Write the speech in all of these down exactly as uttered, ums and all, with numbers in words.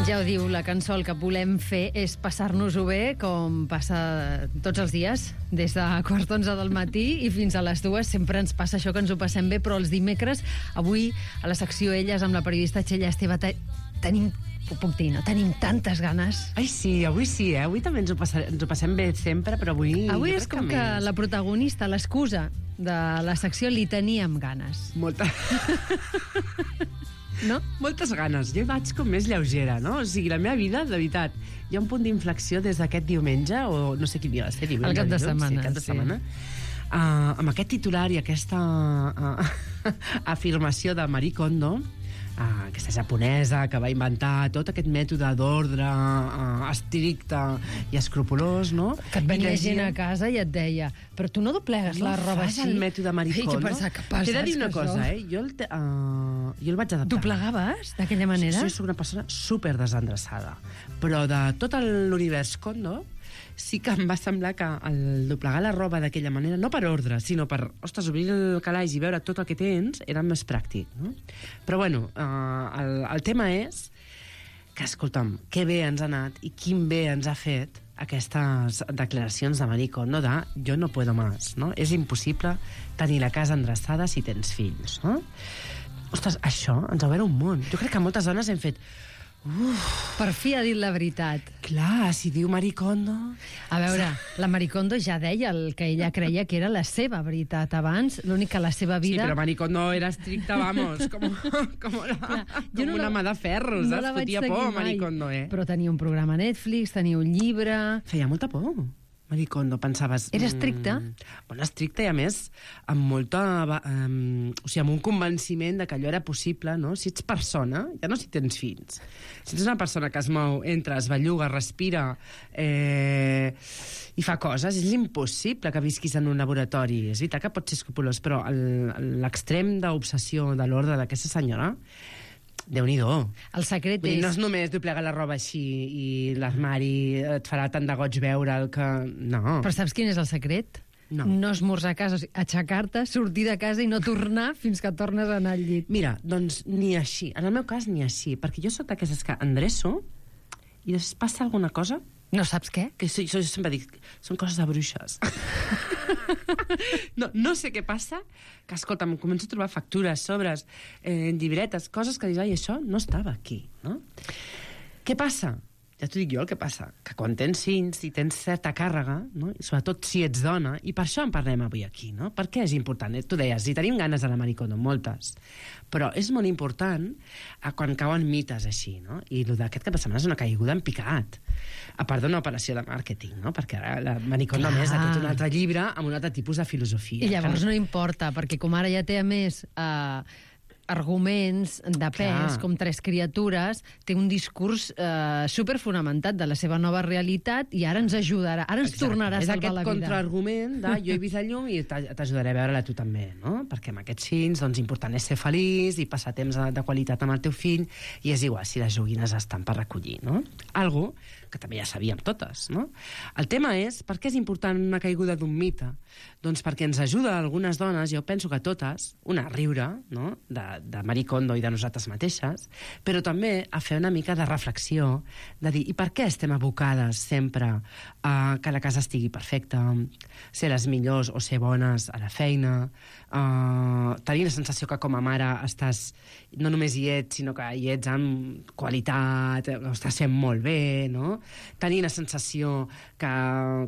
Ja ho diu la cançó, el que volem fer és passar-nos-ho bé, com passa tots els dies, des de quarts d'onze del matí i fins a les dues. Sempre ens passa això, que ens ho passem bé, però els dimecres, avui, a la secció Elles, amb la periodista Txell Esteve, te tenim, ho puc dir, no? Tenim tantes ganes. Ai, sí, avui sí, eh? Avui també ens ho, passarem, ens ho passem bé sempre, però avui... Avui és com que, que la protagonista, l'excusa de la secció, li teníem ganes. Molta... No? Moltes ganes. Jo hi vaig com més lleugera, no? O sigui, la meva vida, de veritat, hi ha un punt d'inflexió des d'aquest diumenge, o no sé quin dia va ser, diumenge. El cap de dilluns, setmana, sí. Cap de sí. setmana. Uh, amb aquest titular i aquesta uh, afirmació de Marie Kondo, uh, aquesta japonesa que va inventar tot aquest mètode d'ordre uh, estricte i escrupolós, no? Que et venia I gent a casa i et deia, però tu no doblegues no la roba fas així? el mètode Marie Kondo. Ai, que pensar, que passa, T'he de dir una que cosa, això... eh? Jo el, te, uh, jo el vaig adaptar. Doblegaves d'aquella manera? Sí, soc una persona super desendreçada. Però de tot l'univers Kondo, sí que em va semblar que el doblegar la roba d'aquella manera, no per ordre, sinó per, ostres, obrir el calaix i veure tot el que tens, era més pràctic, no? Però bueno, uh, el, el tema és que, escolta'm, que bé ens ha anat i quin bé ens ha fet aquestes declaracions de Marie Kondo de jo no puedo más, no? És impossible tenir la casa endreçada si tens fills, no? Ostres, això ens ha obert un món. Jo crec que moltes dones hem fet... Uf. Per fi ha dit la veritat. Clar, si diu Marie Kondo... A veure, la Marie Kondo ja deia el que ella creia que era la seva veritat abans, l'únic que la seva vida... Sí, però Marie Kondo era estricta, vamos, com, com, una, Clar, com no una mà de ferro, no saps? Fotia por, Marie Kondo, eh? Però tenia un programa a Netflix, tenia un llibre... Feia molta por. Marie Kondo, pensaves... Era estricta? Mm, bueno, estricta i, a més, amb molta... Um, o sigui, amb un convenciment de que allò era possible, no? Si ets persona, ja no si tens fills. Si ets una persona que es mou, entra, es belluga, respira eh, i fa coses, és impossible que visquis en un laboratori. És veritat que pot ser escrupolós, però l'extrem d'obsessió de l'ordre d'aquesta senyora... Déu-n'hi-do. El secret Vull dir, és... no és només doblegar la roba així i l'armari et farà tant de goig veure el que... No. Però saps quin és el secret? No. No esmorzar a casa, o sigui, aixecar-te, sortir de casa i no tornar fins que tornes a anar al llit. Mira, doncs ni així. En el meu cas, ni així. Perquè jo soc d'aquestes que endreço i després passa alguna cosa... No saps què? Que so, jo sempre dic, són coses de bruixes. no, no sé què passa, que, escolta, em començo a trobar factures, sobres, eh, llibretes, coses que dius, ai, això no estava aquí, no? Què passa? Ja t'ho dic jo el que passa, que quan tens fills i tens certa càrrega, no? I sobretot si ets dona, i per això en parlem avui aquí, no? Per què és important? Tu deies, si tenim ganes de la Marie Kondo, moltes, però és molt important a quan cauen mites així, no? I el d'aquest cap de setmana és una caiguda en picat, a part d'una operació de màrqueting, no? Perquè ara la Marie Kondo, a més, ha tret un altre llibre amb un altre tipus de filosofia. I llavors no importa, perquè com ara ja té a més... Eh, arguments de pes, Clar. com Tres criatures, té un discurs eh, superfonamentat de la seva nova realitat i ara ens ajudarà, ara ens Exacte. Tornarà a salvar la vida. És aquest contraargument de jo he vist la llum i t'ajudaré a veure-la tu també, no? Perquè amb aquests fills, doncs, important és ser feliç i passar temps de, de qualitat amb el teu fill, i és igual si les joguines estan per recollir, no? Algo que també ja sabíem totes, no? El tema és, per què és important una caiguda d'un mite? Doncs perquè ens ajuda a algunes dones, jo penso que totes, una, a riure, no?, de, de Marie Kondo i de nosaltres mateixes, però també a fer una mica de reflexió, de dir, i per què estem abocades sempre a que la casa estigui perfecta, ser les millors o ser bones a la feina, uh, tenir la sensació que com a mare estàs, no només hi ets, sinó que hi ets amb qualitat, ho estàs fent molt bé, no? Tenir la sensació que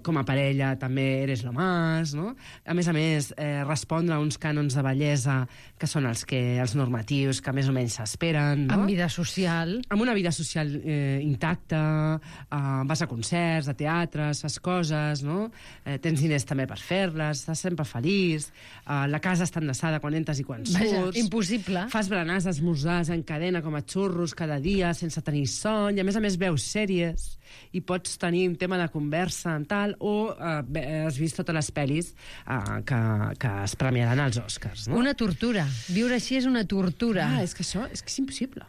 com a parella també eres lo más, no? A més a més, eh, respondre a uns cànons de bellesa que són els, que, els normatius que més o menys s'esperen, no? Amb vida social. Amb una vida social eh, intacta, eh, vas a concerts, a teatres, fas coses, no? Eh, tens diners també per fer-les, estàs sempre feliç, eh, la casa està enllaçada quan entres i quan surts. Vaja, impossible. Fas berenars, esmorzars en cadena com a xurros cada dia sense tenir son, i a més a més veus sèries i pots tenir un tema de conversa en tal, o eh, has vist totes les pel·lis eh, que, que es premiaran als Oscars, no? Una tortura. Viure així és una tortura. Ah, és que això és, que és impossible.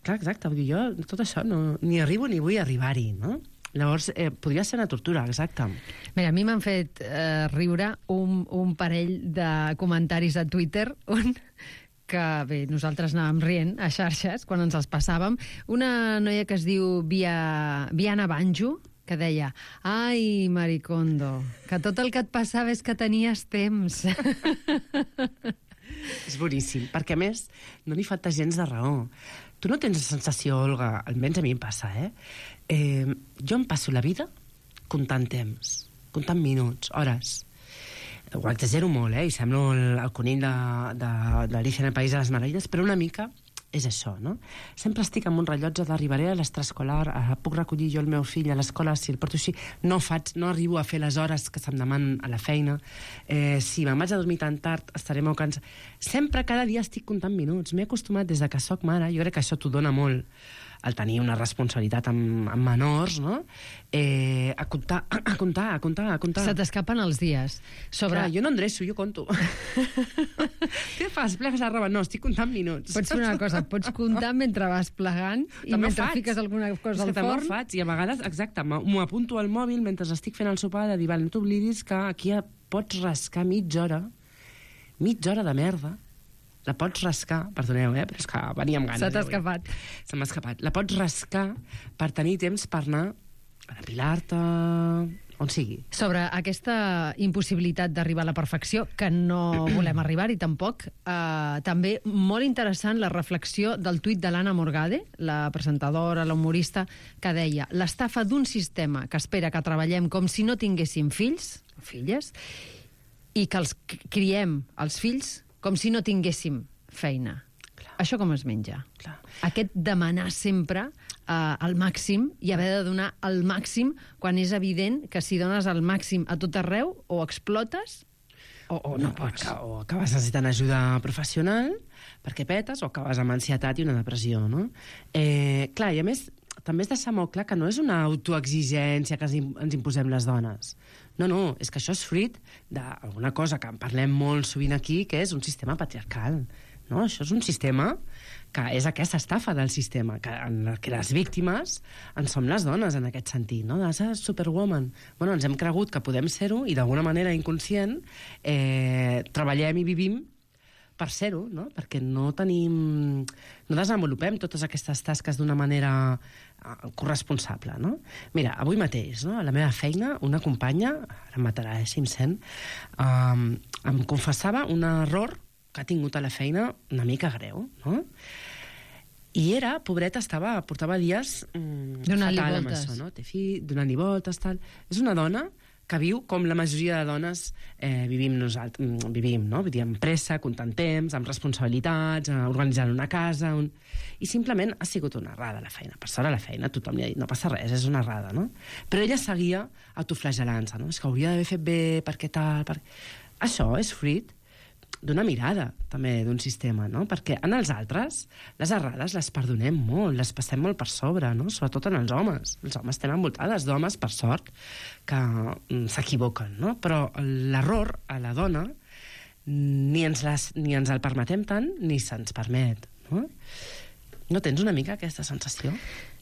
Clar, exacte. Vull dir, jo tot això no, ni arribo ni vull arribar-hi, no? Llavors, eh, podria ser una tortura, exacte. Mira, a mi m'han fet eh, riure un, un parell de comentaris a Twitter on que que, bé, nosaltres anàvem rient a xarxes quan ens els passàvem. Una noia que es diu Via... Viana Banjo, que deia: ai, Maricondo, que tot el que et passava és que tenies temps. És boníssim, perquè a més no li falta gens de raó. Tu no tens la sensació, Olga, almenys a mi em passa, eh? eh jo em passo la vida comptant temps, comptant minuts, hores. Ho exagero molt, eh? I semblo el, el conill d'Alicia en el País de les Meravelles, però una mica és això, no? Sempre estic amb un rellotge d'arribaré a l'extraescolar, puc recollir jo el meu fill a l'escola, si el porto així, no faig, no arribo a fer les hores que se'm demanen a la feina, eh, si me'n vaig a dormir tan tard estaré molt cansat. Sempre, cada dia estic comptant minuts. M'he acostumat des de que soc mare, jo crec que això t'ho dona molt, al tenir una responsabilitat amb, amb menors, no? Eh, a comptar, a comptar, a comptar, a comptar. Se t'escapen els dies. Sobre... Clar, jo no endreço, jo conto. Què fas? Plegues la roba? No, estic comptant minuts. Pots fer una cosa, pots comptar mentre vas plegant i també mentre faig. fiques alguna cosa és al forn. forn. Faig, i a vegades, exacte, m'ho apunto al mòbil mentre estic fent el sopar, de dir, no t'oblidis que aquí pots rascar mitja hora, mitja hora de merda, la pots rascar, perdoneu, eh, però és que venia amb ganes. Se t'ha escapat. Se m'ha escapat. La pots rascar per tenir temps per anar a depilar-te, on sigui. Sobre aquesta impossibilitat d'arribar a la perfecció, que no volem arribar-hi tampoc, eh, també molt interessant la reflexió del tuit de l'Anna Morgade, la presentadora, la humorista, que deia: l'estafa d'un sistema que espera que treballem com si no tinguéssim fills, filles, i que els criem, els fills, com si no tinguéssim feina. Clar. Això com es menja? Clar. Aquest demanar sempre eh, el màxim i haver de donar el màxim quan és evident que si dones el màxim a tot arreu o explotes o, o no, no pots. O acabes necessitant ajuda professional perquè petes o acabes amb ansietat i una depressió, no? Eh, clar, i a més també és deixar molt clar que no és una autoexigència que ens imposem les dones. No, no, és que això és fruit d'alguna cosa que en parlem molt sovint aquí, que és un sistema patriarcal. No? Això és un sistema que és aquesta estafa del sistema, que, en la que les víctimes en som les dones, en aquest sentit, no? De ser superwoman. Bueno, ens hem cregut que podem ser-ho i d'alguna manera inconscient eh, treballem i vivim per ser-ho, no? Perquè no tenim... no desenvolupem totes aquestes tasques d'una manera uh, corresponsable, no? Mira, avui mateix, no? A la meva feina, una companya, ara em matarà, eh, si em sent, um, em confessava un error que ha tingut a la feina una mica greu, no? I era, pobreta, estava, portava dies mm, fatal amb això, no? Té fill, donant-li voltes, tal... És una dona que viu com la majoria de dones eh, vivim nosaltres, vivim, no? Vull dir, amb pressa, comptant temps, amb responsabilitats, eh, organitzant una casa... Un... I simplement ha sigut una errada a la feina. Per sort a la feina tothom li ha dit, no passa res, és una errada, no? Però ella seguia autoflagelant-se, no? És que hauria d'haver fet bé, perquè tal... Per... Això és fruit d'una mirada, també, d'un sistema, no? Perquè en els altres, les errades les perdonem molt, les passem molt per sobre, no? Sobretot en els homes. Els homes estem envoltades d'homes, per sort, que mm, s'equivoquen, no? Però l'error a la dona ni ens, les, ni ens el permetem tant, ni se'ns permet, no? No tens una mica aquesta sensació?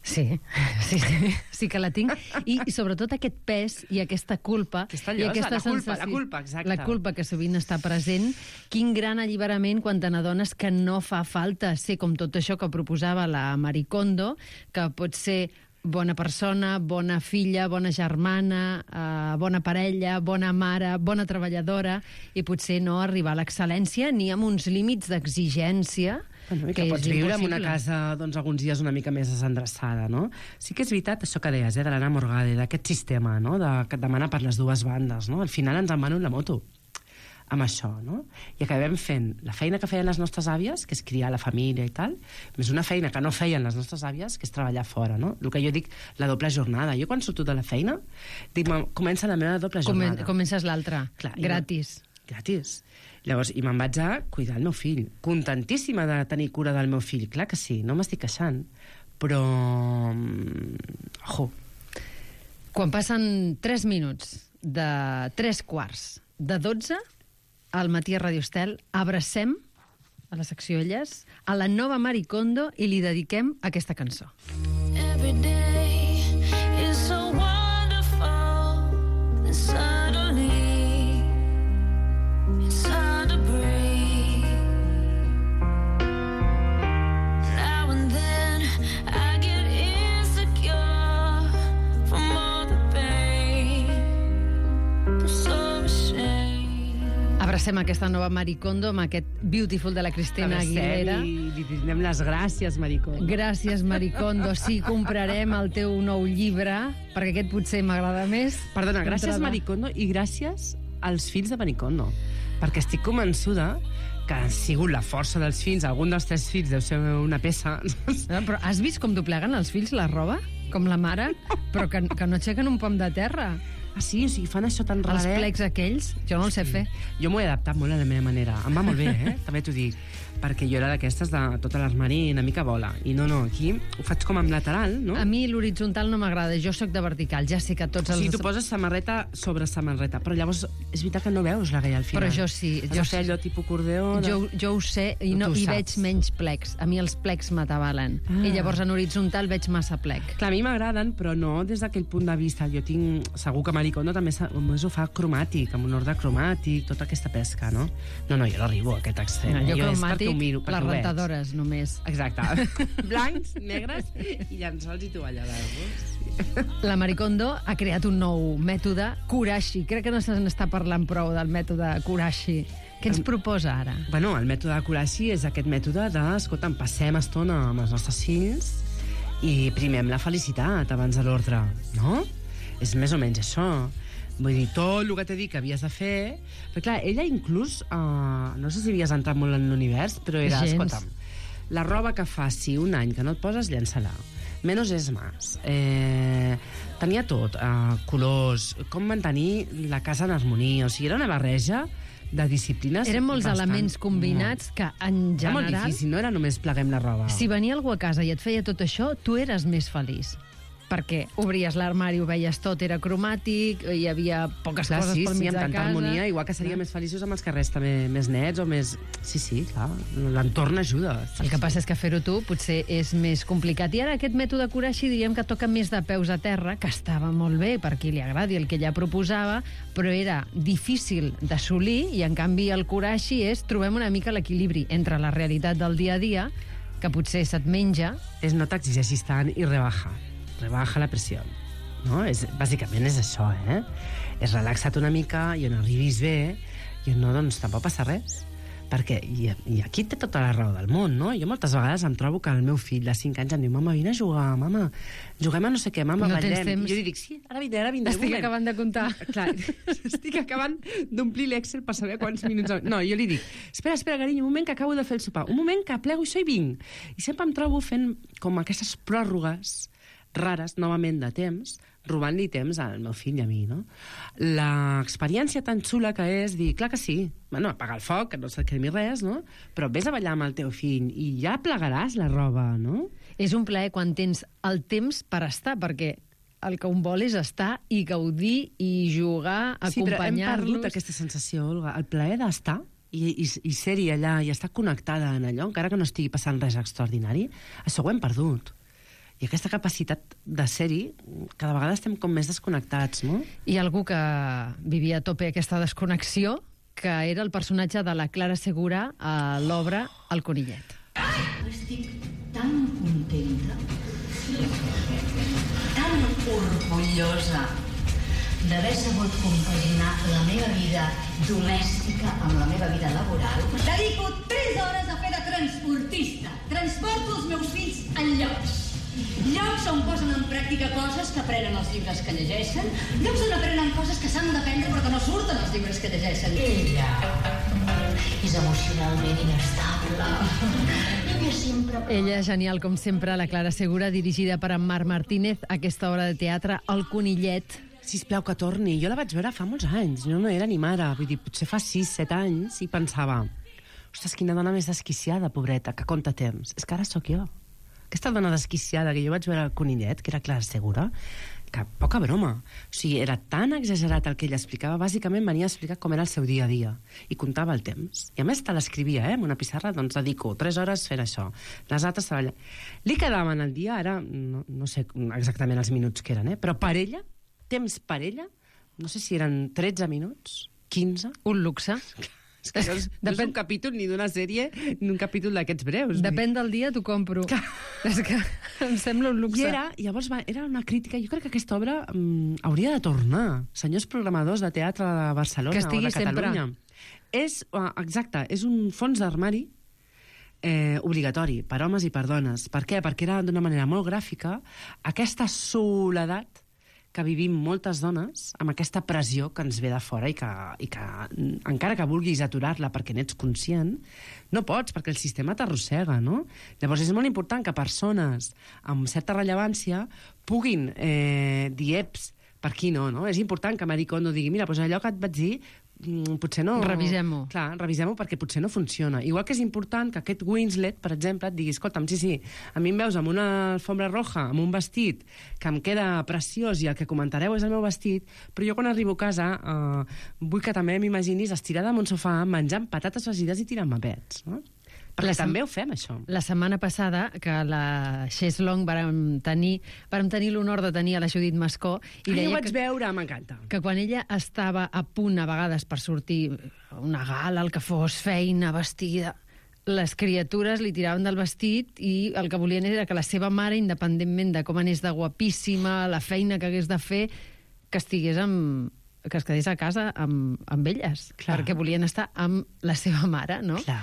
Sí, sí, sí, sí que la tinc. I, i sobretot aquest pes i aquesta culpa... Aquesta llosa, i aquesta la culpa, sensació, la culpa, exacte. La culpa que sovint està present. Quin gran alliberament quan te n'adones que no fa falta ser com tot això que proposava la Maricondo, que pot ser bona persona, bona filla, bona germana, eh, bona parella, bona mare, bona treballadora, i potser no arribar a l'excel·lència ni amb uns límits d'exigència. Bueno, que, que pots viure en una casa doncs, alguns dies una mica més desendreçada, no? Sí que és veritat això que deies, eh, de l'Anna Morgade, d'aquest sistema, no? De, que et demana per les dues bandes, no? Al final ens en van la moto amb això, no? I acabem fent la feina que feien les nostres àvies, que és criar la família i tal, més una feina que no feien les nostres àvies, que és treballar fora, no? El que jo dic, la doble jornada. Jo quan surto de la feina, dic, comença la meva doble jornada. Comences l'altra, gratis. Gratis. Llavors, i me'n vaig a cuidar el meu fill. Contentíssima de tenir cura del meu fill. Clar que sí, no m'estic queixant. Però... Ojo. Quan passen tres minuts de tres quarts de dotze, al matí a Radio Estel, abracem a la secció Elles, a la nova Maricondo, i li dediquem aquesta cançó. Every day is so wonderful and suddenly it's hard to breathe. Passem aquesta nova Maricondo amb aquest Beautiful de la Cristina Aguilera. I li donem les gràcies, Maricondo. Gràcies, Maricondo. Sí, comprarem el teu nou llibre, perquè aquest potser m'agrada més. Perdona, gràcies, Maricondo, i gràcies als fills de Maricondo, perquè estic convençuda que ha sigut la força dels fills. Algun dels tres fills deu ser una peça. Però has vist com dobleguen els fills la roba? Com la mare? Però que, que no aixequen un pom de terra. Ah, sí? O sigui, fan això tan raret. Els plecs aquells, jo no el sé fer. Jo m'ho he adaptat molt a la meva manera. Em va molt bé, eh? També t'ho dic. Perquè jo era d'aquestes de tot l'armari una mica bola. I no, no, aquí ho faig com amb lateral, no? A mi l'horitzontal no m'agrada, jo sóc de vertical. Ja sé que tots els... Sí, tu poses samarreta sobre samarreta, però llavors és veritat que no veus la gaia al final. Però jo sí. Has de fer allò tipus cordeó... De... Jo, jo ho sé i, no, i veig menys plecs. A mi els plecs m'atabalen. Ah. I llavors en horitzontal veig massa plec. Clar, a mi m'agraden, però no des d'aquell punt de vista. Jo tinc... Segur que Maricondo també ho fa cromàtic, amb un ordre cromàtic, tota aquesta pesca, no? No, no, jo no arribo a aquest extrem. No, jo, jo cromàtic, miro, les rentadores, només. Exacte. Blancs, negres i llençols i tovalloles. Sí. La Maricondo ha creat un nou mètode, Kurashi. Crec que no se n'està parlant prou del mètode Kurashi. Què ens proposa ara? Bueno, el mètode Kurashi és aquest mètode de, escolta'm, passem estona amb els nostres fills i primem la felicitat abans de l'ordre, no? És més o menys això. Vull dir, tot el que t'he dit que havies de fer... Però clar, ella inclús... Uh, no sé si havies entrat molt en l'univers, però era, Gens. escolta'm, la roba que faci un any que no et poses, llença-la. Menos és más. Eh, tenia tot, uh, colors, com mantenir la casa en harmonia. O sigui, era una barreja de disciplines... Eren molts bastant, elements combinats que, en general... Era molt difícil, no era només pleguem la roba. Si venia algú a casa i et feia tot això, tu eres més feliç. Perquè obries l'armari, ho veies tot, era cromàtic, hi havia poques clar, coses sí, pel sí, mig amb de tanta casa. harmonia, igual que seria clar. Més feliços amb els carrers també més nets o més... Sí, sí, clar, l'entorn ajuda. Sí, el que passa és que fer-ho tu potser és més complicat. I ara aquest mètode Kurashi diríem que toca més de peus a terra, que estava molt bé per qui li agradi el que ella proposava, però era difícil d'assolir i en canvi el Kurashi és trobem una mica l'equilibri entre la realitat del dia a dia, que potser se't menja... És no t'exigeixis tant i rebaja. Rebaja la pressió. No? És, bàsicament és això, eh? És relaxa't una mica i on arribis bé i on no, doncs tampoc passa res. Perquè, i, i aquí té tota la raó del món, no? Jo moltes vegades em trobo que el meu fill de cinc anys em diu, mama, vine a jugar, mama, juguem a no sé què, mama, no ballem. I jo li dic, sí, ara vindré, ara vindré. Estic acabant de comptar. Clar, estic acabant d'omplir l'Excel per saber quants minuts... No, jo li dic, espera, espera, carinyo, un moment que acabo de fer el sopar, un moment que plego això i vinc. I sempre em trobo fent com aquestes pròrrogues rares, novament, de temps, robant-li temps al meu fill i a mi, no? L'experiència tan xula que és dir, clar que sí, bueno, apagar el foc, que no se't cremi res, no? Però vés a ballar amb el teu fill i ja plegaràs la roba, no? És un plaer quan tens el temps per estar, perquè el que un vol és estar i gaudir i jugar, acompanyar-los... Sí, però hem perdut aquesta sensació, Olga, el plaer d'estar i, i, i ser-hi allà i estar connectada en allò, encara que no estigui passant res extraordinari, això ho hem perdut. I aquesta capacitat de ser-hi, cada vegada estem com més desconnectats, no? Hi ha algú que vivia a tope aquesta desconnexió, que era el personatge de la Clara Segura a l'obra El conillet. Estic tan contenta, tan orgullosa d'haver sabut compaginar la meva vida domèstica amb la meva vida laboral. Dedico tres hores a fer de transportista. Transporto els meus fills en llocs. Llocs on posen en pràctica coses que aprenen els llibres que llegeixen, llocs on aprenen coses que s'han d'aprendre però que no surten els llibres que llegeixen. Ella és emocionalment inestable. Ella sempre... Ella és genial, com sempre, la Clara Segura, dirigida per en Marc Martínez, aquesta obra de teatre, El conillet. Sisplau, que torni. Jo la vaig veure fa molts anys, jo no era ni mare, vull dir, potser fa sis, set anys, i pensava, ostres, quina dona més desquiciada, pobreta, que compta temps. És que ara sóc jo. Aquesta dona desquiciada que jo vaig veure al conillet, que era Clara Segura, que poca broma. O sigui, era tan exagerat el que ella explicava, bàsicament venia a explicar com era el seu dia a dia, i comptava el temps. I a més te l'escrivia, eh, en una pissarra, doncs dedico tres hores fent això, les altres treballant. Li quedaven al dia, ara no, no sé exactament els minuts que eren, eh, però per ella, temps per ella, no sé si eren tretze minuts, quinze... Un luxe. És que no és, no és un capítol ni d'una sèrie ni un capítol d'aquests breus. Depèn del dia, t'ho compro. És que em sembla un luxe. I era, llavors va, era una crítica. Jo crec que aquesta obra um, hauria de tornar. Senyors programadors de teatre de Barcelona o de Catalunya. Sempre. És, uh, exacte, és un fons d'armari eh, obligatori per homes i per dones. Per què? Perquè era d'una manera molt gràfica aquesta soledat que vivim moltes dones amb aquesta pressió que ens ve de fora i que, i que encara que vulguis aturar-la perquè n'ets conscient, no pots, perquè el sistema t'arrossega, no? Llavors és molt important que persones amb certa rellevància puguin eh, dir eps, per aquí no, no? És important que Marie Kondo digui, mira, doncs allò que et vaig dir potser no... Revisem-ho. Clar, revisem-ho perquè potser no funciona. Igual que és important que aquest Winslet, per exemple, et digui, escolta'm, sí, sí, a mi em veus amb una alfombra roja, amb un vestit que em queda preciós i el que comentareu és el meu vestit, però jo quan arribo a casa eh, vull que també m'imaginis estirada en un sofà menjant patates fregides i tirant-me pets, no? Perquè La sem- també ho fem, això. La setmana passada, que la Cheslong vàrem tenir, vàrem tenir l'honor de tenir a la Judit Mascó, i Ai, deia ho vaig que, veure, m'encanta. que quan ella estava a punt, a vegades, per sortir a una gala, el que fos, feina, vestida, les criatures li tiraven del vestit i el que volien era que la seva mare, independentment de com anés de guapíssima, la feina que hagués de fer, que estigués amb que es quedés a casa amb, amb elles, Clar. perquè volien estar amb la seva mare, no? Clar.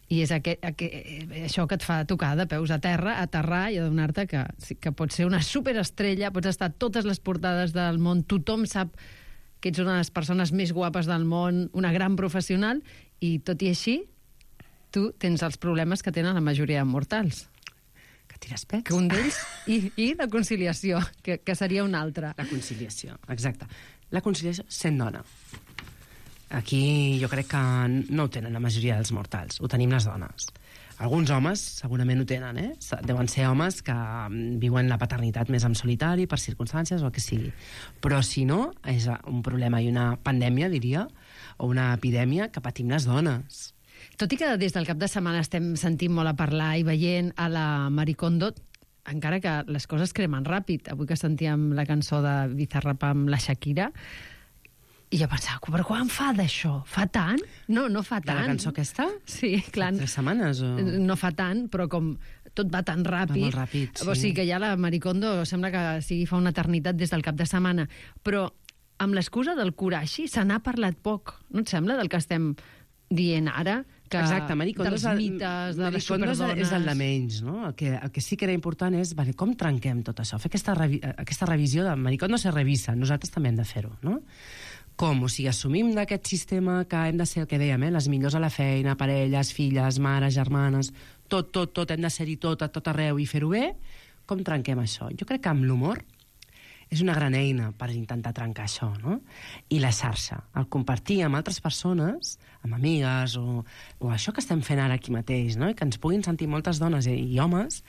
I és aquest, aquest, això que et fa tocar de peus a terra, aterrar i adonar-te que, sí, que pots ser una superestrella, pots estar a totes les portades del món, tothom sap que ets una de les persones més guapes del món, una gran professional, i tot i així, tu tens els problemes que tenen la majoria de mortals. Que tires pets. Que un d'ells... I, I la conciliació, que, que seria un altre. La conciliació, exacte. La conciliació sent dona. Aquí jo crec que no ho tenen la majoria dels mortals, ho tenim les dones. Alguns homes segurament ho tenen, eh? Deuen ser homes que viuen la paternitat més en solitari, per circumstàncies o el que sigui. Però si no, és un problema i una pandèmia, diria, o una epidèmia que patim les dones. Tot i que des del cap de setmana estem sentint molt a parlar i veient a la Marie Kondo, encara que les coses cremen ràpid. Avui que sentíem la cançó de Bizarrap amb la Shakira, i jo pensava, però quan fa d'això? Fa tant? No, no fa De tant. la cançó aquesta? Sí, clar. Tres setmanes o...? No fa tant, però com tot va tan ràpid... Va molt ràpid, sí. O sigui que ja la Marie Kondo sembla que sigui fa una eternitat des del cap de setmana. Però amb l'excusa del Kurashi se n'ha parlat poc. No et sembla del que estem dient ara? Que Exacte, Marie Kondo dels és el- mites, de Marie les Kondo és- superdones... és el de menys, no? El que, el que sí que era important és, vale, com trenquem tot això? Fer aquesta, revi aquesta revisió de Marie Kondo se revisa, nosaltres també hem de fer-ho, no? Com? O sigui, assumim d'aquest sistema que hem de ser el que dèiem, eh? Les millors a la feina, parelles, filles, mares, germanes, tot, tot, tot, hem de ser-hi tot, a tot arreu i fer-ho bé. Com trenquem això? Jo crec que amb l'humor és una gran eina per intentar trencar això, no? I la xarxa, el compartir amb altres persones, amb amigues, o, o això que estem fent ara aquí mateix, no? I que ens puguin sentir moltes dones i, i homes,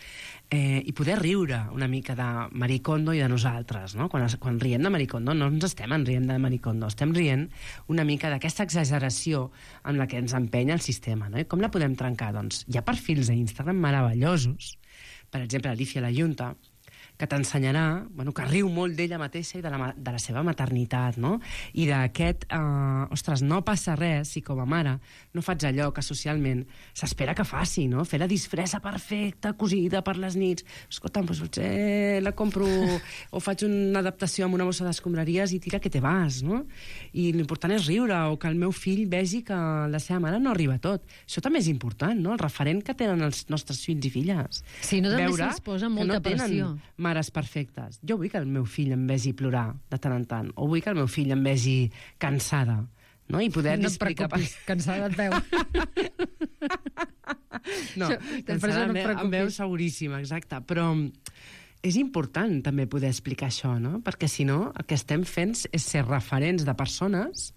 eh, i poder riure una mica de Marie Kondo i de nosaltres, no? Quan, es, quan riem de Marie Kondo no ens estem en rient de Marie Kondo, estem rient una mica d'aquesta exageració amb la que ens empenya el sistema, no? I com la podem trencar? Doncs hi ha perfils a Instagram meravellosos, per exemple, Alicia La Junta, que t'ensenyarà, bueno, que riu molt d'ella mateixa i de la, de la seva maternitat, no? I d'aquest, eh, ostres, no passa res si com a mare no faig allò que socialment s'espera que faci, no? Fer la disfressa perfecta, cosida per les nits. Escolta'm, doncs potser la compro o faig una adaptació amb una bossa d'escombraries i tira que te vas, no? I l'important és riure, o que el meu fill vegi que la seva mare no arriba a tot. Això també és important, no? El referent que tenen els nostres fills i filles. Sí, no també Veure se'ls posa que molta no tenen pressió. mares perfectes. Jo vull que el meu fill em vegi plorar de tant en tant, o vull que el meu fill em vegi cansada, no? I poder No et explicar... preocupis, cansada et veu. No, Això, per això no et em veu preocupis. seguríssima, exacte. Però és important també poder explicar això, no? Perquè si no, el que estem fent és ser referents de persones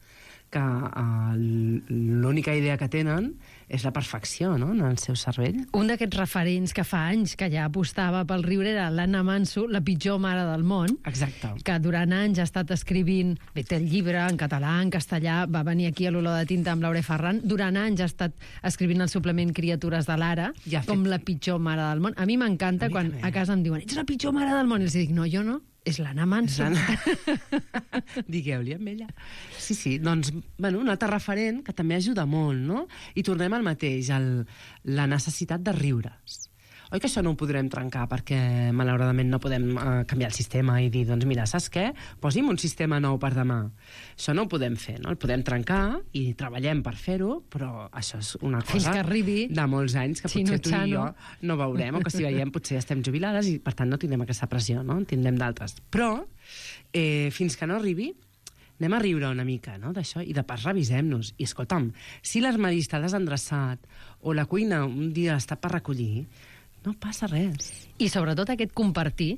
que uh, l'única idea que tenen és la perfecció, no?, en el seu cervell. Un d'aquests referents que fa anys que ja apostava pel riure era l'Anna Manso, la pitjor mare del món, Exacte. que durant anys ha estat escrivint, bé, té el llibre en català, en castellà, va venir aquí a l'Olor de Tinta amb l'Aure Ferran, durant anys ha estat escrivint el suplement Criatures de l'Ara, Ja ha com fet- la pitjor mare del món. A mi m'encanta A mi quan també. a casa em diuen, ets la pitjor mare del món, i els dic, no, jo no, és l'Anna Manso. Digueu-li amb ella. Sí, sí, doncs, bueno, un altre referent que també ajuda molt, no? I tornem al mateix, el, la necessitat de riure's. oi que això no ho podrem trencar perquè malauradament no podem uh, canviar el sistema i dir, doncs mira, saps què? Posi'm un sistema nou per demà. Això no ho podem fer, no? El podem trencar i treballem per fer-ho, però això és una cosa Fins que arribi de molts anys que potser tu i jo no veurem, o que si veiem potser ja estem jubilades i per tant no tindrem aquesta pressió, no? En tindrem d'altres. Però eh, fins que no arribi anem a riure una mica, no?, d'això, i de pas revisem-nos. I, escolta'm, si l'armari està desendreçat o la cuina un dia està per recollir, no passa res. I sobretot aquest compartir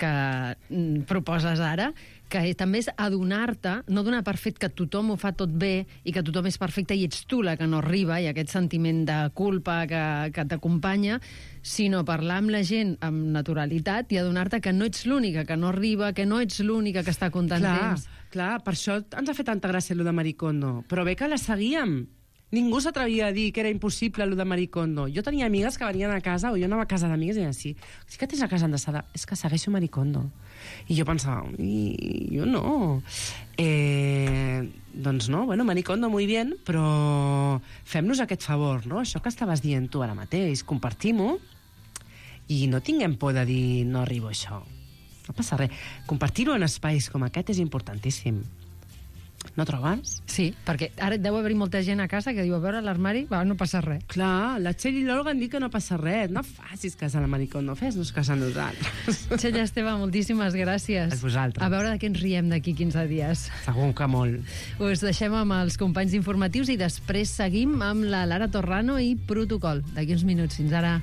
que mm, proposes ara, que també és adonar-te, no donar per fet que tothom ho fa tot bé i que tothom és perfecte i ets tu la que no arriba, i aquest sentiment de culpa que, que t'acompanya, sinó parlar amb la gent amb naturalitat i adonar-te que no ets l'única que no arriba, que no ets l'única que està comptant temps. Clar, per això ens ha fet tanta gràcia allò de Marie Kondo. Però bé que la seguíem. Ningú s'atrevia a dir que era impossible allò de Marie Kondo. Jo tenia amigues que venien a casa, o jo anava a casa d'amigues i deien, sí, sí que tens la casa endreçada. És que segueixo Marie Kondo. I jo pensava, jo no. Eh, doncs no, bueno, Marie Kondo muy bien, però fem-nos aquest favor, no? Això que estaves dient tu ara mateix, compartim-ho i no tinguem por de dir no arribo a això. No passa res. Compartir-ho en espais com aquest és importantíssim. No trobes? Sí, perquè ara deu haver-hi molta gent a casa que diu, a veure, l'armari, va, no passa res. Clar, la Txell i l'Olga han dit que no passa res. No facis cas a la Marie Kondo, fes-nos cas a nosaltres. Txell Esteve, moltíssimes gràcies. A vosaltres. A veure de què ens riem d'aquí quinze dies. Segur que molt. Us deixem amb els companys informatius i després seguim amb la Lara Torrano i Protocol. D'aquí uns minuts. Fins ara.